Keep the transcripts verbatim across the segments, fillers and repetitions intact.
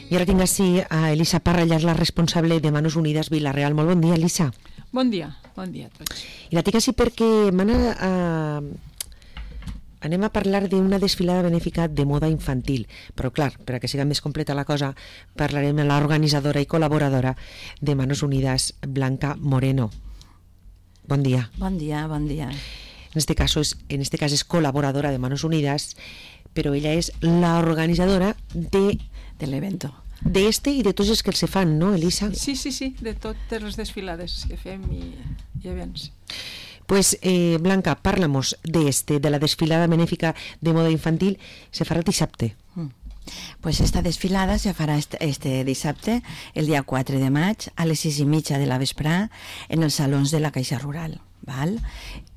I ara tinc així a Elisa Parrallar, la responsable de Manos Unides Vila-real. Molt bon dia, Elisa. Bon dia, bon dia a tots. I la tinc així perquè a, anem a parlar d'una desfilada benèfica de moda infantil, però clar, per a que siga més completa la cosa, parlarem amb l'organitzadora i col·laboradora de Manos Unides, Blanca Moreno. Bon dia. Bon dia, bon dia. En este caso es, en este cas és col·laboradora de Manos Unides, però ella és l'organitzadora de... de l'evento. De este i de tots els que se fan, no, Elisa? Sí, sí, sí, de totes les desfilades que fem i, i events. Pues, eh, Blanca, parla'mos de este, de la desfilada benèfica de moda infantil, se farà el dissabte. Mm. Pues esta desfilada se farà este, este dissabte, el dia quatre de maig, a les sis i mitja de la vesprà, en els salons de la Caixa Rural. Val?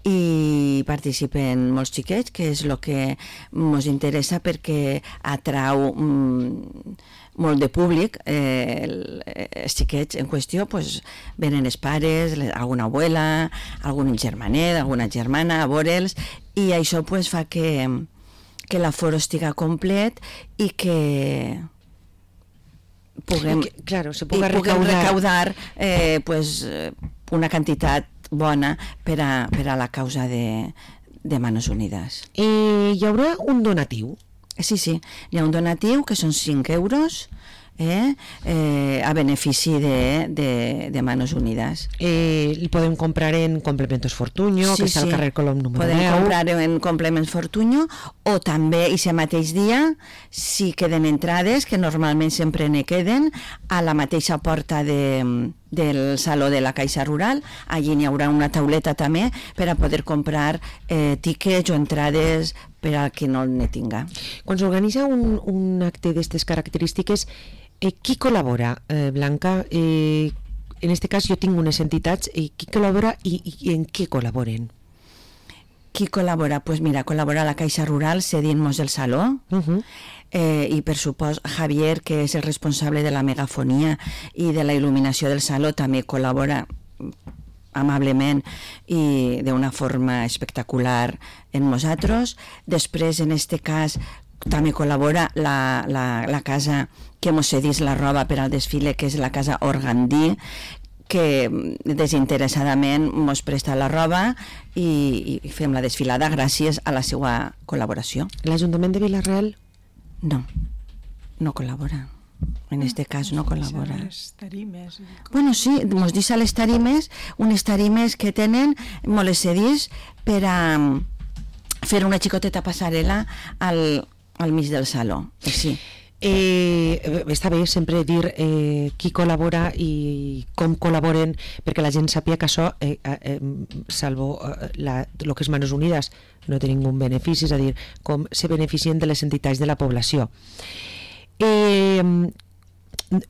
I participen molts xiquets, que és el que ens interessa perquè atrau mm, molt de públic. Eh, els xiquets en qüestió pues, venen els pares, alguna abuela, algun germanet, alguna germana a veure'ls, i això pues, fa que, que l'aforo estiga complet i que puguem, que, claro, se puga puguem recaudar, recaudar eh, pues, una quantitat bona per a, per a la causa de, de Manos Unides. Eh, hi haurà un donatiu? Sí, sí, hi ha un donatiu que són cinc euros eh, eh, a benefici de, de, de Manos Unides. Eh, el podem comprar en Complementos Fortuño, sí, que està sí. al carrer Colom número podem deu. Podem comprar en Complements Fortuño, o també, i aquest mateix dia, si queden entrades, que normalment sempre ne queden, a la mateixa porta de... del Saló de la Caixa Rural. Allí n'hi haurà una tauleta també per a poder comprar eh, tiquets o entrades per a qui no ne tinga. Quan s'organitza un, un acte d'aquestes característiques, eh, qui col·labora, eh, Blanca? Eh, en aquest cas jo tinc unes entitats, eh, qui col·labora i, i en què col·laboren? Qui col·labora? Pues mira, col·labora la Caixa Rural cedint-nos el saló, uh-huh. eh, i per supost Javier, que és el responsable de la megafonia i de la il·luminació del saló, també col·labora amablement i d'una forma espectacular en nosaltres. Després, en este cas, també col·labora la, la, la casa que mos cedís la roba per al desfile, que és la casa Organdí, que desinteressadament mos presta la roba i, i fem la desfilada gràcies a la seva col·laboració. L'Ajuntament de Vila-real? No, no col·labora. En este cas no col·labora. Les tarimes. Bueno, sí, mos deixa les tarimes, unes tarimes que tenen molt les cedís per a fer una xicoteta passarel·la al, al mig del saló. Sí. Eh, està bé sempre dir eh, qui col·labora i com col·laboren, perquè la gent sàpiga que això eh, eh, salvo eh, la, lo que és Manos Unides no té ningú benefici, és a dir, com se beneficien de les entitats de la població. Eh,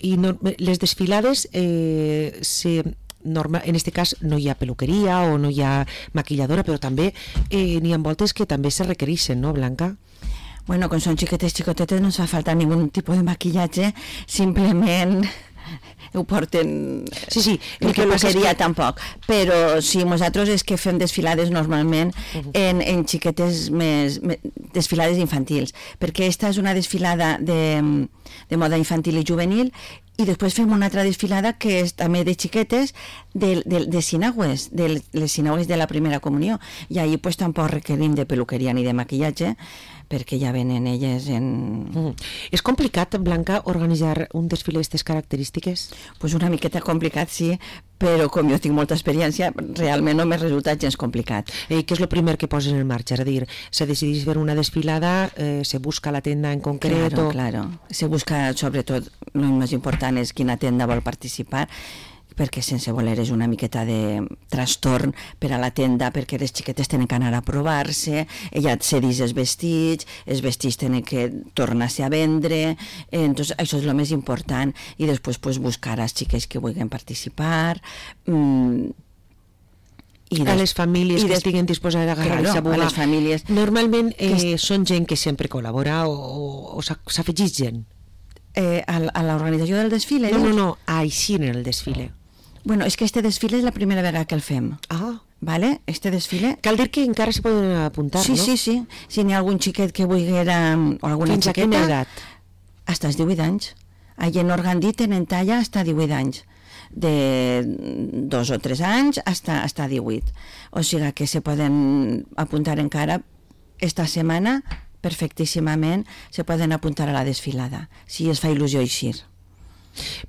i no, les desfilades eh, se norma, en aquest cas no hi ha peluqueria o no hi ha maquilladora, però també eh, n'hi ha voltes que també se requereixen, no, Blanca? Bueno, quan són xiquetes, xicotetes, no ens fa falta ningun tipus de maquillatge, simplement ho porten... Sí, sí. El que passaria que... tampoc. Però sí, nosaltres és que fem desfilades normalment uh-huh. en, en xiquetes més, més... desfilades infantils, perquè esta és una desfilada de, de moda infantil i juvenil, i després fem una altra desfilada que és també de xiquetes de, de, de sinagües, de les sinagües de la primera comunió, i ahir pues, tampoc requerim de peluqueria ni de maquillatge, perquè ja venen elles en... Mm. És complicat, Blanca, organitzar un desfile d'aquestes característiques? Pues una miqueta complicat, sí, però com jo tinc molta experiència, realment no m'ha resultat gens complicat. Eh, què és el primer que posen en marxa? És a dir, se decideix fer una desfilada, eh, se busca la tenda en concret? Claro, o... claro. Se busca, sobretot, el més important és quina tenda vol participar, perquè sense voler és una miqueta de trastorn per a la tenda, perquè les xiquetes tenen que anar a provar-se, ella cedís els vestits, els vestits tenen que tornar-se a vendre, eh, entonces això és el més important, i després pues, buscar els xiquets que vulguin participar, mm, I des... a les famílies que des... estiguen disposades a agarrar claro, aquesta bola. A les famílies... Normalment eh, que... són gent que sempre col·labora o, o, o s'afegeix gent? Eh, a, a l'organització del desfile? No, no, no, així en el desfile. Bueno, és que este desfile és la primera vegada que el fem. Ah. Vale? Este desfile... Cal dir que encara se poden apuntar, sí, no? Sí, sí, sí. Si n'hi ha algun xiquet que vulguera... O alguna Fins xiqueta... a quina edat? Hasta els divuit anys. Allí en Organdí tenen talla fins a divuit anys, de dos o tres anys hasta, hasta divuit. O sigui que se poden apuntar encara esta setmana perfectíssimament, se poden apuntar a la desfilada, si es fa il·lusió eixir.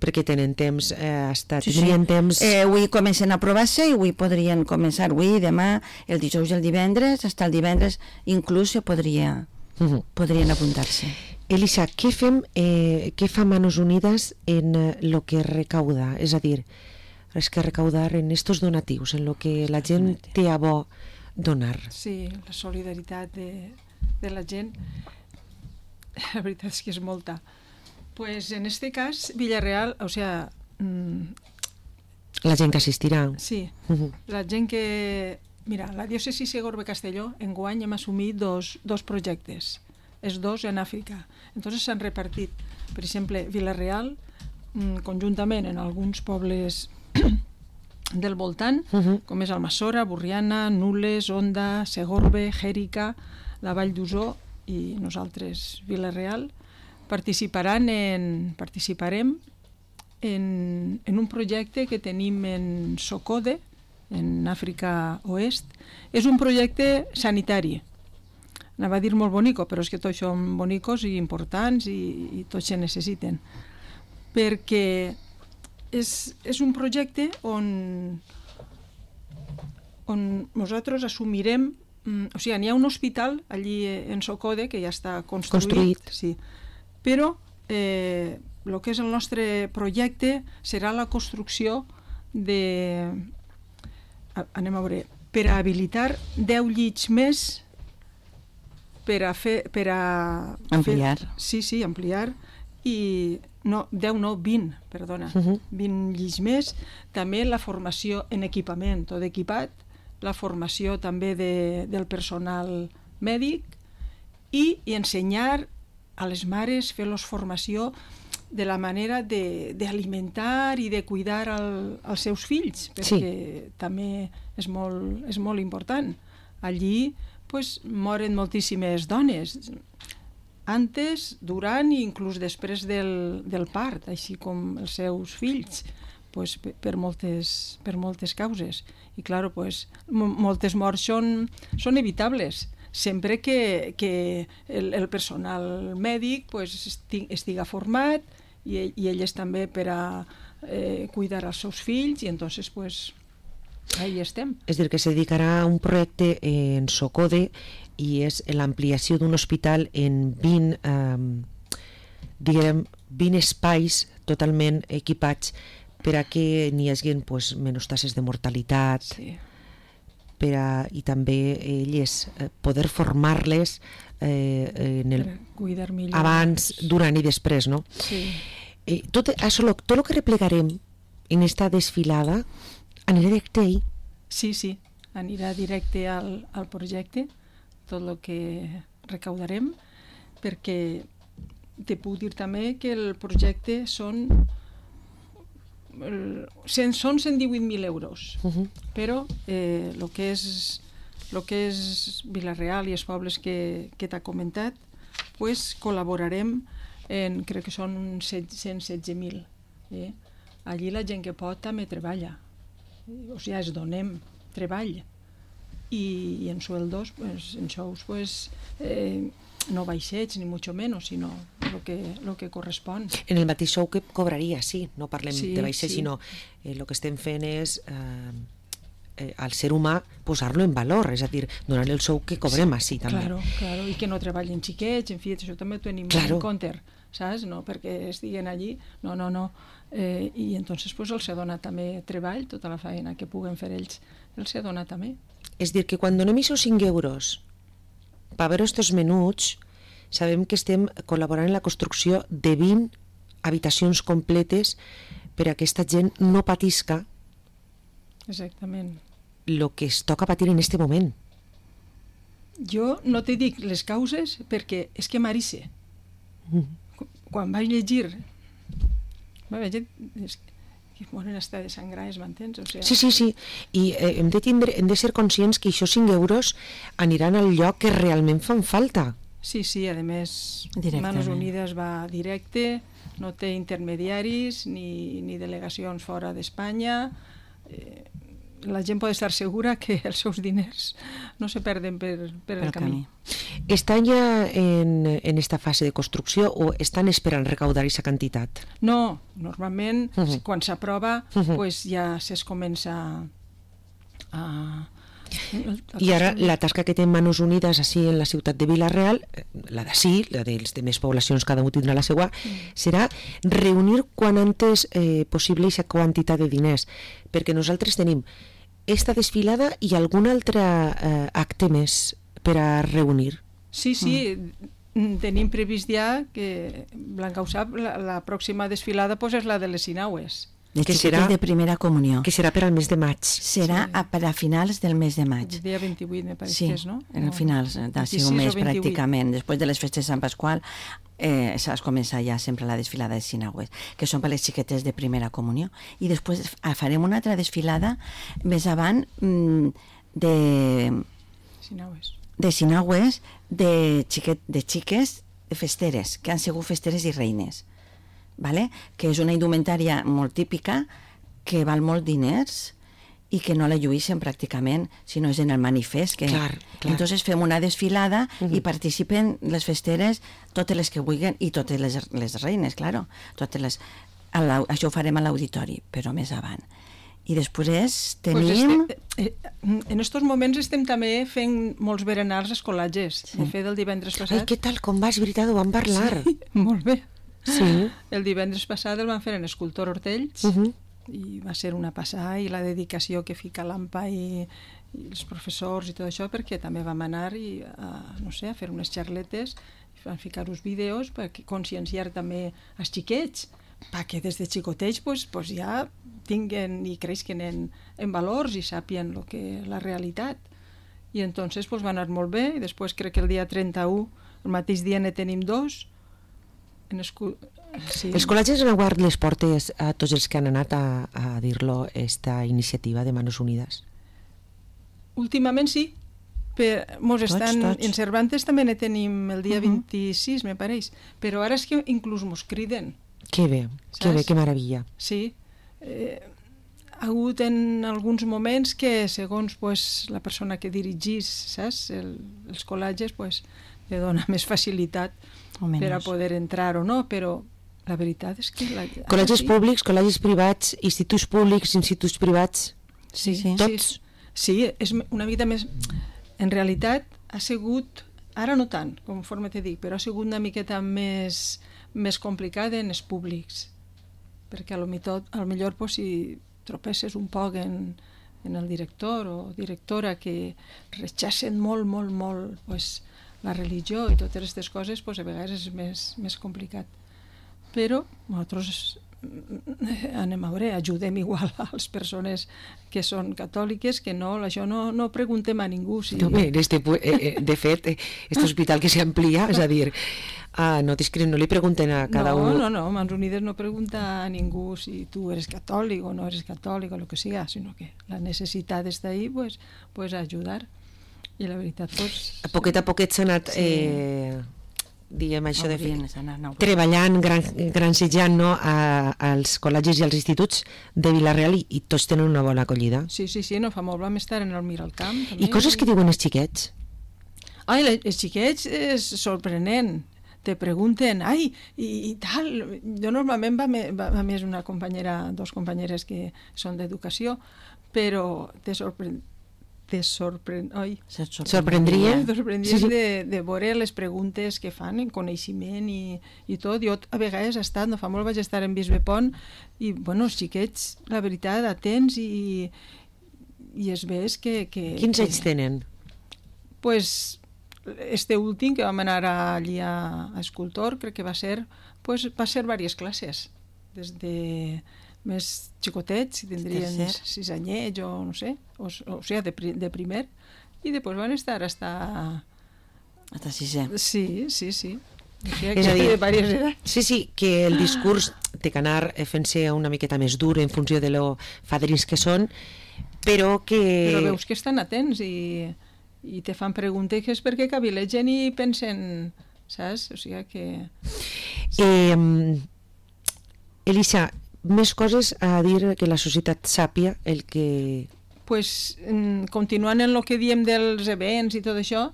Perquè tenen temps, eh, hasta Sí, tindrien sí. temps... Eh, avui comencen a provar-se i avui podrien començar, avui, demà, el dijous i el divendres, fins el divendres inclús se podria, Uh-huh. podrien apuntar-se. Elisa, què fem, eh, què fa Manos Unidas en eh, lo que recauda? És a dir, és que recaudar en estos donatius, en lo que la gent té a bo donar. Sí, la solidaritat de, de la gent, la veritat és que és molta. Pues en este cas, Villarreal, o sea, mmm, La gent que assistirà. sí, Uh-huh. la gent que... Mira, la diòcesi Segorbe-Castelló enguany hem assumit dos, dos projectes, els dos en Àfrica. Entonces s'han repartit, per exemple, Vila-real, mmm, conjuntament en alguns pobles del voltant, Uh-huh. com és Almassora, Borriana, Nules, Onda, Segorbe, Jèrica, la Vall d'Usó i nosaltres, Vila-real, participaran en, participarem en, en un projecte que tenim en Socode, en Àfrica Oest. És un projecte sanitari. Anava a dir molt bonico, però és que tots són bonicos i importants i, i tots se necessiten. Perquè és, és un projecte on, on nosaltres assumirem, mm, o sigui, n'hi ha un hospital allí en Socode que ja està construït, Construït. sí, però eh, el que és el nostre projecte serà la construcció de... anem a veure, per a habilitar deu llits més per a fer... Per a Ampliar. Fer, sí, sí, ampliar. I no, deu no, vint, perdona. Uh-huh. vint llits més. També la formació en equipament, tot equipat, la formació també de, del personal mèdic i, i ensenyar a les mares, fer-los formació de la manera d'alimentar i de cuidar el, els seus fills, perquè sí. també és molt, és molt important. Allí pues, moren moltíssimes dones, antes, durant i inclús després del, del part, així com els seus fills, pues, per, moltes, per moltes causes. I clar, pues, moltes morts són, són evitables, sempre que, que el, el personal mèdic pues, estiga format i, i elles també per a eh, cuidar els seus fills i entonces pues, ahí estem. És a dir, que se dedicarà a un projecte en Socode i és l'ampliació d'un hospital en vint, eh, diguem, vint espais totalment equipats per a que n'hi hagi pues, menys tasses de mortalitat, Sí. per a, i també elles eh, poder formar-les eh, en el, Per cuidar millor. abans, durant i després, no? Sí. Eh, tot això, lo, tot el que replegarem en esta desfilada anirà directe ahí. Sí, sí, anirà directe al, al projecte, tot el que recaudarem, perquè te puc dir també que el projecte són el, són cent divuit mil euros, Uh-huh. però eh, el que és el que és Vila-real i els pobles que, que t'ha comentat, pues, col·laborarem en, crec que són cent setze mil. Eh? Allí la gent que pot també treballa, o sigui, es donem treball i, i en sueldos, pues, en sous, pues, eh, no baixets ni mucho menos, sinó lo que, lo que correspon. En el mateix sou que cobraria, sí, no parlem Sí, de baixer, sí. sinó el eh, que estem fent és eh, eh, al ser humà posar-lo en valor, és a dir, donar-li el sou que cobrem així també. Claro, claro, i que no treballen xiquets, en fi, això també ho tenim Claro. en compte, saps? No perquè estiguen allí, no, no, no. Eh, I entonces pues, els se dona també treball, tota la feina que puguen fer ells, els se dona també. És dir, que quan donem aquests cinc euros per veure estos menuts, sabem que estem col·laborant en la construcció de vint habitacions completes per a aquesta gent no patisca Exactament. el que es toca patir en este moment. Jo no te dic les causes perquè és que m'arice. Mm. Quan vaig llegir, vaig llegir, és que moren hasta de sangrar, m'entens? O sea, Sí, sí, sí, i eh, hem, de tindre, hem de ser conscients que aquests cinc euros aniran al lloc que realment fan falta. Sí, sí, a més, Directament. Manos Unides va directe, no té intermediaris ni, ni delegacions fora d'Espanya. Eh, la gent pot estar segura que els seus diners no se perden per, per el, el camí. camí. Estan ja en, en esta fase de construcció o estan esperant recaudar aquesta quantitat? No, normalment uh -huh. quan s'aprova uh -huh. pues ja es comença a... I ara la tasca que té Manos Unides així en la ciutat de Vila-real, la d'ací, la dels de més poblacions, cada un tindrà la seva, mm. serà reunir quan antes eh, possible aquesta quantitat de diners, perquè nosaltres tenim esta desfilada i algun altre eh, acte més per a reunir. Sí, sí, mm. tenim previst ja que, Blanca ho sap, la, la pròxima desfilada pues, és la de les Sinaues. De que serà de primera comunió. Que serà per al mes de maig. Serà sí. a, per a finals del mes de maig. El dia vint-i-vuit, me pareix sí, que és, no? Sí, en finals del un mes pràcticament. Després de les festes de Sant Pasqual eh, s'ha començat ja sempre la desfilada de Sinaues, que són per les xiquetes de primera comunió. I després farem una altra desfilada més avant mm, de... Sinaues. De Sinaues, de, xiquet, de xiques de festeres, que han sigut festeres i reines. Vale? Que és una indumentària molt típica, que val molt diners i que no la lluïssin pràcticament, si no és en el manifest. Que... Clar, clar. Entonces fem una desfilada uh -huh. i participen les festeres, totes les que vulguin, i totes les, les reines, claro. Totes les... Això ho farem a l'auditori, però més avant. I després tenim... Pues este, eh, en estos moments estem també fent molts berenars escolatges. Sí. De fet, el divendres passat... Ai, què tal, com vas? Veritat, ho vam parlar. Sí, molt bé. Sí. El divendres passat el van fer en Escultor Hortells uh -huh. i va ser una passada, i la dedicació que fica l'Ampa i, i els professors i tot això, perquè també vam anar i, a, no sé, a fer unes xarletes, van ficar uns vídeos per conscienciar també els xiquets, perquè des de xicotets pues, pues ja tinguen i creixen en, en valors i sàpien lo que, la realitat. I entonces pues, va anar molt bé, i després crec que el dia trenta-u, el mateix dia ne tenim dos. En escu... sí. Els col·legis han obert les portes a tots els que han anat a, a dir-lo esta iniciativa de Manos Unides? Últimament sí. Per, mos tots, estan, tots. En Cervantes també ne tenim el dia uh -huh. vint-i-sis, me pareix. Però ara és que inclús mos criden. Que bé, saps? Que bé, que meravella. Sí. Eh, ha hagut en alguns moments que, segons pues, la persona que dirigís, saps? El, els col·legis, pues, li dona més facilitat per a poder entrar o no, però la veritat és que... La... Col·legis sí. públics, col·legis privats, instituts públics, instituts privats, sí, sí. tots? Sí, sí, és una mica més... En realitat ha sigut, ara no tant, conforme te dic, però ha sigut una miqueta més, més complicat en els públics, perquè a lo millor, a lo millor pues, si tropesses un poc en, en el director o directora que rechacen molt, molt, molt pues, la religió i totes aquestes coses, pues, a vegades és més, més complicat. Però nosaltres anem a veure, ajudem igual a les persones que són catòliques, que no, això no, no preguntem a ningú. Si... No, bé, este, eh, de fet, este hospital que s'amplia, és a dir, ah, no, no li pregunten a cada no, un... No, no, Mans Unides no pregunta a ningú si tu eres catòlic o no eres catòlic o el que siga, sinó que la necessitat està ahí, pues, pues ayudar. I la veritat, pues... A poquet a poquet s'ha anat... Sí. Eh, diguem això no, de fer, no, no, treballant, gran, gransejant no, a, als col·legis i als instituts de Vila-real i, i tots tenen una bona acollida. Sí, sí, sí, no fa molt, vam estar en el Miralcamp. També. I coses que diuen els xiquets? Ai, els xiquets és sorprenent. Te pregunten, ai, i, i tal. Jo normalment va, va, va més una companyera, dos companyeres que són d'educació, però te sorprèn te sorprèn... Oi. Sorprendria? Sorprendries sí, sí. de, de veure les preguntes que fan en coneixement i, i tot. Jo a vegades he estat, no fa molt vaig estar en Bisbepont i, bueno, els xiquets, la veritat, atents i, i es ves que... que Quins que, anys tenen? Pues, este últim que vam anar allí a, a Escultor, crec que va ser, pues, va ser diverses classes, des de... més xicotets, si tindrien sis anyets o no sé, o, o sigui, de, de primer, i després van estar hasta... Hasta sisè. Sí, sí, sí. O sigui, és a dir, de diverses edats. Sí, sí, que el discurs té que anar fent-se una miqueta més dur en funció de lo fadrins que són, però que... Però veus que estan atents i, i te fan preguntes perquè cavilegen i pensen, saps? O sigui que... Eh, Elisa, més coses a dir que la societat sàpia el que... Pues, continuant en el que diem dels events i tot això,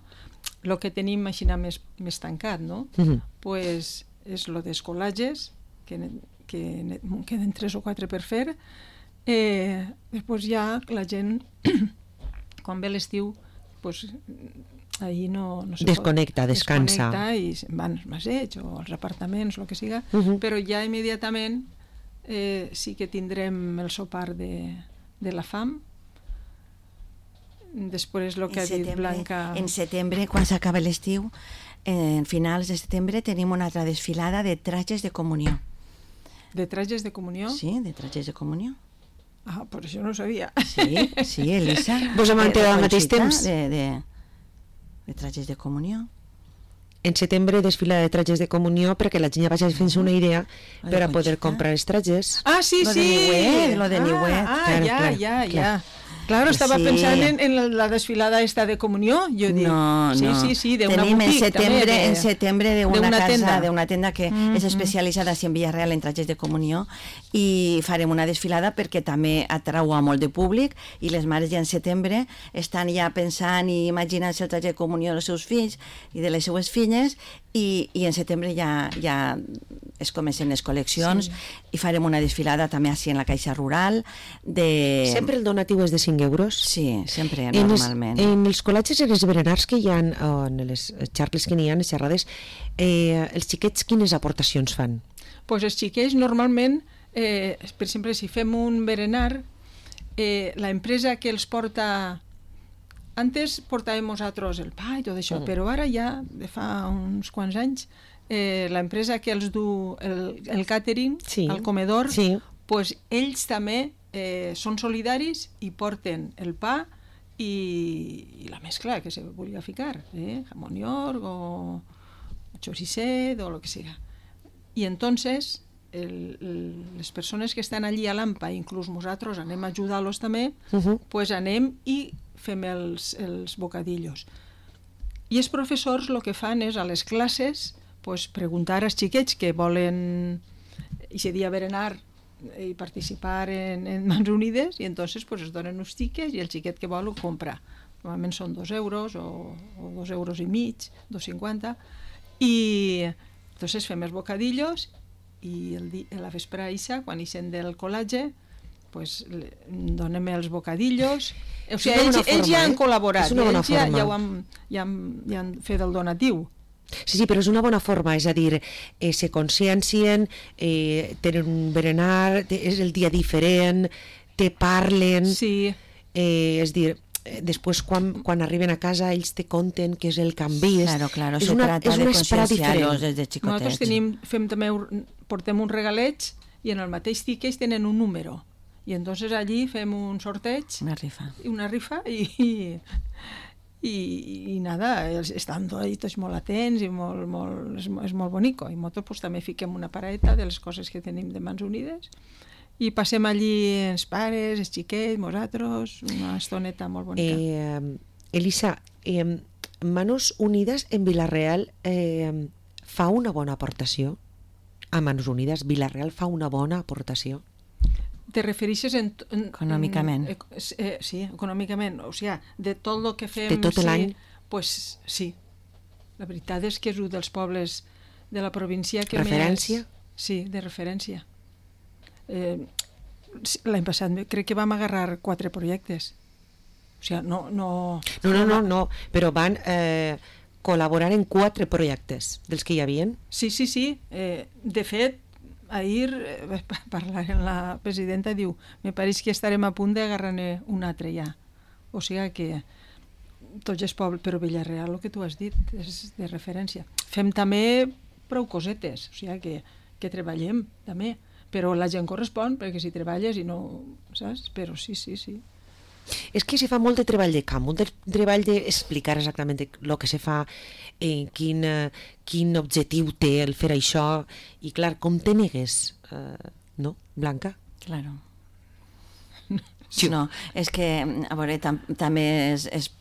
el que tenim així més, més tancat, no? Uh-huh. Pues, és el dels col·lages, que, que queden tres o quatre per fer. Eh, després ja la gent, quan ve l'estiu, pues, ahir no, no se desconnecta, pot, descansa. Desconnecta i se'n van als maseigs o als apartaments, el que siga, uh-huh. però ja immediatament eh, sí que tindrem el sopar de, de la fam. Després el que ha dit Blanca... En setembre, quan s'acaba l'estiu, en finals de setembre tenim una altra desfilada de trajes de comunió. De trajes de comunió? Sí, de trajes de comunió. Ah, per això no ho sabia. Sí, sí, Elisa. Vos hem enterat al mateix temps? De, de, de trajes de comunió. En setembre desfilada de trajes de comunió perquè la gent ja vagi fent-se una idea per a poder comprar els trajes. Ah, sí, lo sí! De Niuet, lo de Niuet. Ah, ah claro, ja, claro, ja, claro. ja. Claro, estava sí. pensant en, en la desfilada esta de comunió, jo dic. No, sí, no. Sí, sí, de una Tenim boutique, en setembre, també, de, en setembre de una, de una casa, tenda. de una tenda que mm-hmm. és especialitzada en Villarreal en trajes de comunió i farem una desfilada perquè també atrau a molt de públic i les mares ja en setembre estan ja pensant i imaginant-se el traje de comunió dels seus fills i de les seues filles i, i en setembre ja, ja es comencen les col·leccions sí. i farem una desfilada també així en la Caixa Rural de... Sempre el donatiu és de cinc euros? Sí, sempre, en normalment. Els, en els col·legis i els berenars que hi ha, o en les xarcles que n'hi ha, les xerrades, eh, els xiquets quines aportacions fan? Pues els xiquets normalment, eh, per exemple, si fem un berenar, eh, la empresa que els porta... Antes portàvem nosaltres el pa i tot això, mm. però ara ja, de fa uns quants anys, eh, l'empresa que els du el, el catering, sí. el comedor, sí. pues ells també eh, són solidaris i porten el pa i, i la mescla que se vulgui ficar, eh? Jamón york o choricet o el que siga. I entonces el, el, les persones que estan allí a l'AMPA, inclús nosaltres anem a ajudar-los també, uh-huh. pues anem i fem els, els bocadillos. I els professors el que fan és a les classes pues, preguntar als xiquets que volen aquest dia berenar i participar en, en Mans Unides i entonces pues, es donen uns tiques i el xiquet que vol ho compra. Normalment són dos euros o, o dos euros i mig, dos cinquanta i entonces fem els bocadillos i el di, la vespre ixa, quan ixen del col·legi pues, donem els bocadillos. O sigui, ells, forma, ells ja han col·laborat, ells ja, ja, ho han, ja, han, ja han fet el donatiu. Sí, sí, però és una bona forma, és a dir, eh, se consciencien, eh, tenen un berenar, és el dia diferent, te parlen, sí. eh, és dir, eh, després quan, quan arriben a casa ells te conten què és el que han vist. Claro, claro, és se una, trata és de una esperada concienciar-los diferent. des de xicotets. Nosaltres tenim, fem també, portem un regalet i en el mateix tiquet tenen un número. I entonces allí fem un sorteig, una rifa, una rifa i, i, i, i nada, estan tots molt atents i molt, molt, és, és molt bonico. I nosaltres pues, també fiquem una paraeta de les coses que tenim de Mans Unides i passem allí els pares, els xiquets, nosaltres, una estoneta molt bonica. Eh, Elisa, eh, Manos Unides en Vila-real eh, fa una bona aportació? A Mans Unides, Vila-real fa una bona aportació? Te refereixes en... en econòmicament. En, eh, sí, econòmicament. O sigui, de tot el que fem... De tot l'any? Sí, pues, sí. La veritat és que és un dels pobles de la província que referència? més... Referència? Sí, de referència. Eh, L'any passat crec que vam agarrar quatre projectes. O sigui, no... No, no, no, no, no però van eh, col·laborar en quatre projectes dels que hi havia. Sí, sí, sí. Eh, de fet, ahir eh, parlar amb la presidenta diu, me pareix que estarem a punt d'agarrar-ne un altre ja. O sigui que tots els pobles, però Villarreal, el que tu has dit, és de referència. Fem també prou cosetes, o sigui que, que treballem també, però la gent correspon, perquè si treballes i no, saps? Però sí, sí, sí. És que se fa molt de treball de camp, molt de treball d'explicar exactament el que se fa, eh, quin, eh, quin objectiu té el fer això, i clar, com te negues, eh, no, Blanca? Claro. Sí. No, és que, a veure, tam també és, és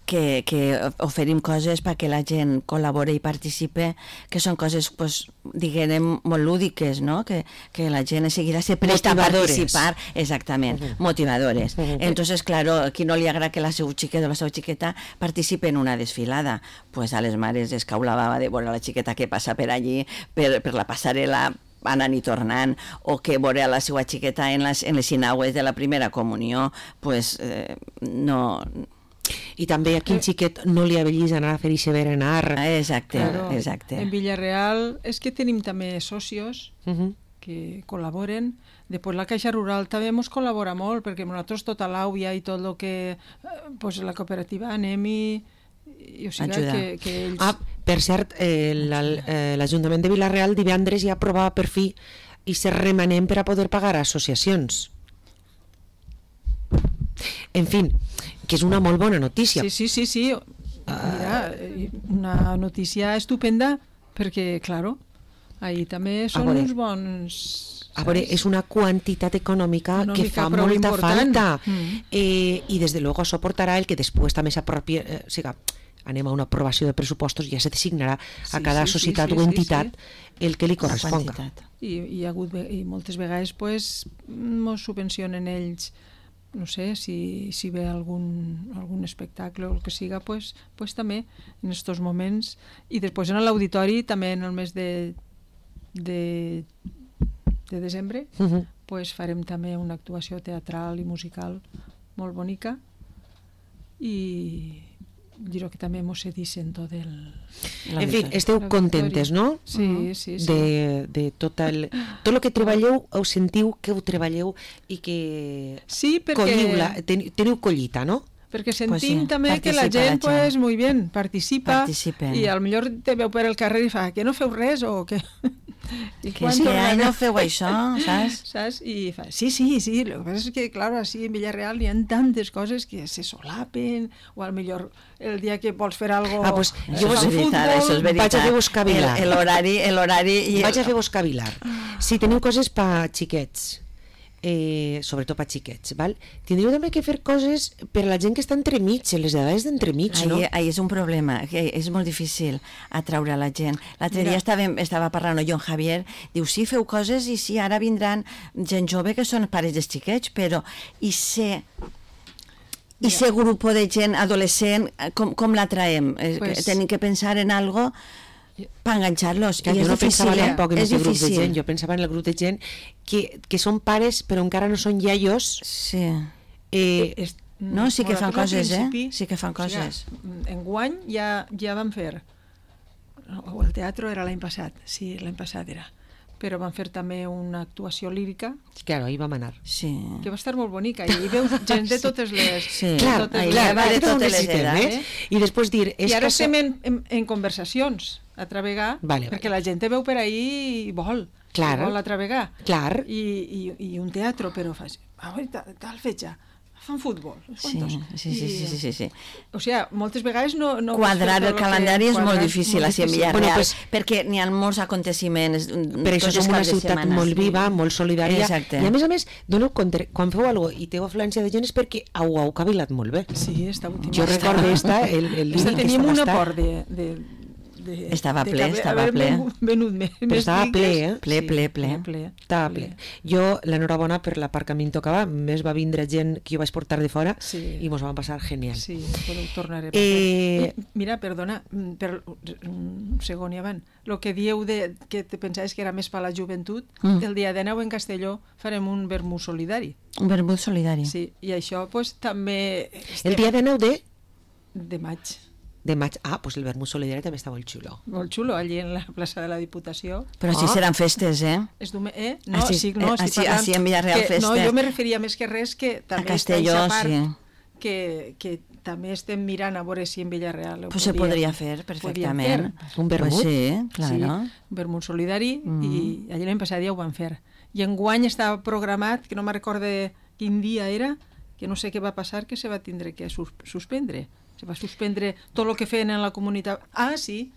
que, que oferim coses perquè la gent col·labori i participe, que són coses, pues, diguem, molt lúdiques, no? Que, que la gent seguirà se presta a participar, exactament, uh -huh. motivadores. Uh -huh. Entonces, claro, a qui no li agrada que la seu xiquet o la seva xiqueta participe en una desfilada, pues a les mares es cau la bava de veure la xiqueta que passa per allí, per, per la passarel·la, anant i tornant, o que veure la seva xiqueta en les, en les sinagües de la primera comunió, pues eh, no... I també a quin xiquet no li avellis anar a fer ixe berenar. Exacte, claro, exacte. En Villarreal és que tenim també socios uh -huh. que col·laboren. Després la Caixa Rural també ens col·labora molt, perquè nosaltres tota l'àuia i tot el que... Pues la cooperativa anem i... i o sigui que, que ells... Ah, per cert, eh, l'Ajuntament de Vila-real divendres ja aprovava per fi i se remanem per a poder pagar associacions. En fi, que és una molt bona notícia. Sí, sí, sí, sí. Mira, una notícia estupenda, perquè, claro, ahí també són uns bons... A veure, és una quantitat econòmica, econòmica que fa molta important. falta. Mm. Eh, I, des de luego, això portarà el que després també s'apropi... Eh, o sigui, anem a una aprovació de pressupostos i ja se designarà sí, a cada sí, societat sí, sí, o entitat sí, sí. el que li corresponga. I, i, ha hagut, i moltes vegades pues, mos subvencionen ells, no sé, si, si ve algun, algun espectacle o el que siga, pues, pues també en aquests moments. I després en l'auditori, també en el mes de, de, de desembre, uh -huh. pues farem també una actuació teatral i musical molt bonica i diré que també mos cedissin tot el... En fi, esteu contentes, no? Sí, sí, sí. De, de tot el... Tot el que treballeu, ho sentiu que ho treballeu i que... Sí, perquè... Colliu-la, ten, teniu collita, no? Perquè sentim pues sí, participa també que la gent, la gent. pues, muy bien, participa Participen. i al millor te veu per el carrer i fa que no feu res o que... I que sí, ai, no feu això, saps? saps? I fa, sí, sí, sí, el que passa és que, clar, així en Villarreal hi ha tantes coses que se solapen, o al millor el dia que vols fer alguna cosa... Ah, pues, jo és veritat, això és veritat. Vaig a fer-vos cavilar. L'horari, l'horari... I... Vaig a fer-vos cavilar. Si teniu coses pa xiquets, eh, sobretot per xiquets, val? Tindríeu també que fer coses per a la gent que està entremig, les edades d'entremig, no? Ahí, ahí és un problema, que és molt difícil atraure a la gent. L'altre dia estava, estava parlant jo amb Javier, diu, sí, feu coses i sí, ara vindran gent jove que són pares dels xiquets, però i ser... I ser grup de gent adolescent, com, com l'atraem? Pues... Tenim que pensar en algo per enganxar-los. I jo no pensava tampoc en aquest grup de gent, jo pensava en el grup de gent que, que són pares però encara no són iaios. Sí. Eh, es, no, sí que fan coses, eh? Sí que fan coses. O sigui, enguany ja, ja van fer, o el teatre era l'any passat, sí, l'any passat era, però van fer també una actuació lírica. Claro, ahí vam anar. Sí. Que va estar molt bonica, i hi veus gent de totes les... Sí, clar, totes clar, les, de totes les edats. Eh? I després dir... I ara estem en, en, en conversacions a travegar, vale, perquè vale. la gent te veu per ahí i vol, clar. vol a travegar. Clar. I, i, i un teatre, però fas... Ah, tal fetge, fan futbol. Sí, sí, sí, sí, sí, sí, sí. O sigui, moltes vegades no... no quadrar el calendari és molt difícil a Villarreal, bueno, pues, perquè n'hi ha molts aconteciments. Per això som una ciutat setmana, molt viva, molt solidària. Exacte. I a més a més, doneu compte, quan feu alguna cosa i teniu afluència de gent és perquè ho heu cavilat molt bé. Sí, està última. Jo recordo esta, el, el esta líric teníem que un estava aport de... de De, estava de ple, haver, estava haver ple. Venut més, però estava ple, eh? Ple, sí, ple, ple. ple. Estava ple. Jo, l'enhorabona per la part que a mi em tocava, més va vindre gent que jo vaig portar de fora sí. i mos vam passar genial. Sí, podeu tornar a eh... Mira, perdona, per un segon i avant, el que dieu de, que te pensaves que era més per la joventut, mm. el dia de nou en Castelló farem un vermut solidari. Un vermut solidari. Sí, i això pues, també... Estem... El dia de nou de? De maig. De maig. Ah, pues el vermut solidari també està molt xulo. Molt xulo, allí en la plaça de la Diputació. Però així ah. seran festes, eh? És eh? No, així, sí, no, així, així en Villarreal que, festes. No, jo me referia més que res que també a Castelló, està part sí. que, que també estem mirant a veure si en Villarreal pues podria, se podria fer perfectament. Fer. Un vermut? Pues sí, claro. Sí, un vermut solidari mm. i allí l'any passat ja ho van fer. I enguany estava programat, que no me recorde quin dia era, que no sé què va passar, que se va tindre que sus suspendre. Se va suspendre tot el que feien en la comunitat. Ah, sí,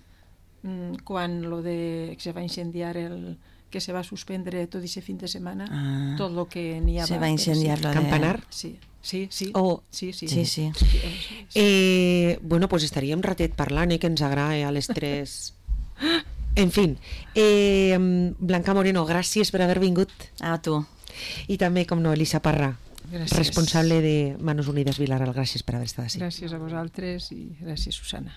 quan lo de, que se va incendiar el, que se va suspendre tot aquest fin de setmana, Ah. tot el que n'hi havia. Se va incendiar sí. lo de... Campanar? Sí, sí, sí. Oh. sí, sí. Sí, sí. Eh, bueno, pues estaríem ratet parlant, eh, que ens agrada a les tres. En fin, eh, Blanca Moreno, gràcies per haver vingut. A tu. I també, com no, Elisa Parra, Gràcies. responsable de Manos Unides Vilaral. Gràcies per haver estat així. Gràcies a vosaltres i gràcies, Susana.